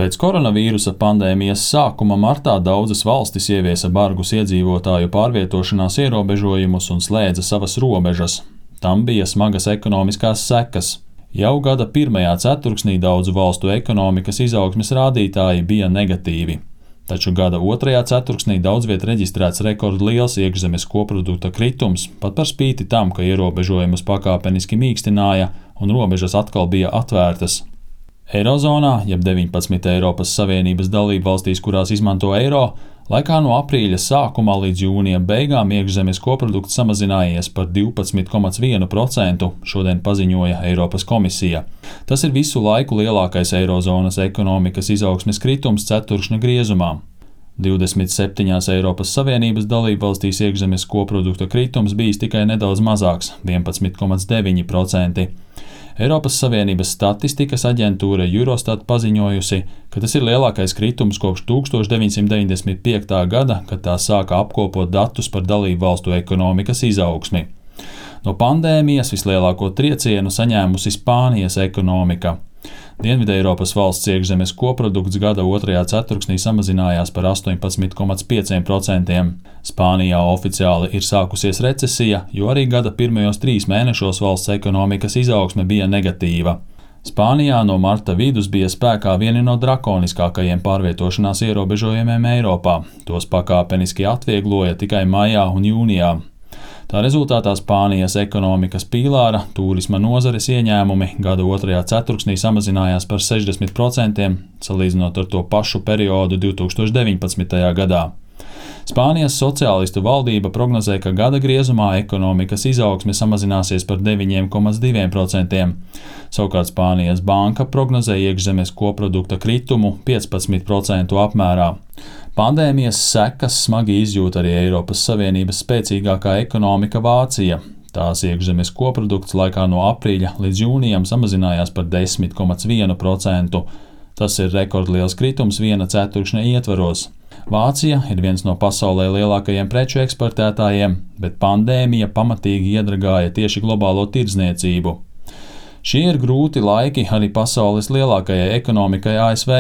Pēc koronavīrusa pandēmijas sākuma martā daudzas valstis ieviesa bargus iedzīvotāju pārvietošanās ierobežojumus un slēdza savas robežas. Tam bija smagas ekonomiskās sekas. Jau gada pirmajā ceturksnī daudzu valstu ekonomikas izaugsmes rādītāji bija negatīvi. Taču gada otrajā ceturksnī daudz viet reģistrēts rekordliels iekšzemes koprodukta kritums, pat par spīti tam, ka ierobežojumus pakāpeniski mīkstināja un robežas atkal bija atvērtas. Eirozonā, jeb 19 Eiropas Savienības dalību valstīs, kurās izmanto eiro, laikā no aprīļa sākuma līdz jūnija beigām iekšzemes koprodukts samazinājies par 12,1%, šodien paziņoja Eiropas komisija. Tas ir visu laiku lielākais eirozonas ekonomikas izaugsmes kritums ceturkšņa griezumā. 27 Eiropas Savienības dalību valstīs iekšzemes koprodukta kritums bijis tikai nedaudz mazāks – 11,9%. Eiropas Savienības statistikas aģentūra Eurostat paziņojusi, ka tas ir lielākais kritums kopš 1995. gada, kad tā sāka apkopot datus par dalību valstu ekonomikas izaugsmi. No pandēmijas vislielāko triecienu saņēmusi Spānijas ekonomika. Dienvideiropas valsts iekšzemes koprodukts gada otrajā ceturksnī samazinājās par 18,5%. Spānijā oficiāli ir sākusies recesija, jo arī gada pirmajos 3 mēnešos valsts ekonomikas izaugsme bija negatīva. Spānijā no marta vidus bija spēkā vieni no drakoniskākajiem pārvietošanās ierobežojumiem Eiropā. Tos pakāpeniski atviegloja tikai maijā un jūnijā. Tā rezultātā Spānijas ekonomikas pīlāra tūrisma nozares ieņēmumi gada otrajā ceturksnī samazinājās par 60%, salīdzinot ar to pašu periodu 2019. gadā. Spānijas sociālistu valdība prognozē, ka gada griezumā ekonomikas izaugsme samazināsies par 9,2%. Savukārt Spānijas banka prognozē iekšzemes koprodukta kritumu 15% apmērā. Pandēmijas sekas smagi izjūt arī Eiropas Savienības spēcīgākā ekonomika Vācija. Tās iekšzemes koprodukts laikā no aprīļa līdz jūnijam samazinājās par 10,1%. Tas ir rekordliels kritums viena ceturkšņa ietvaros. Vācija ir viens no pasaulē lielākajiem preču eksportētājiem, bet pandēmija pamatīgi iedragāja tieši globālo tirdzniecību. Šie ir grūti laiki arī pasaules lielākajai ekonomikai ASV.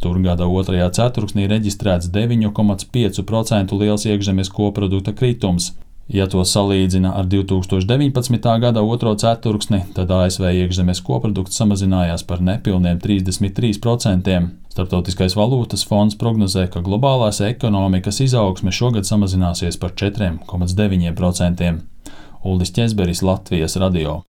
Tur gada otrajā ceturksnī reģistrēts 9,5% liels iekšzemes koprodukta kritums. Ja to salīdzina ar 2019. gada otro ceturksni, tad ASV iekšzemes koprodukts samazinājās par nepilniem 33%. Starptautiskais valūtas fonds prognozē, ka globālās ekonomikas izaugsme šogad samazināsies par 4,9%. Uldis Ķezberis, Latvijas radio.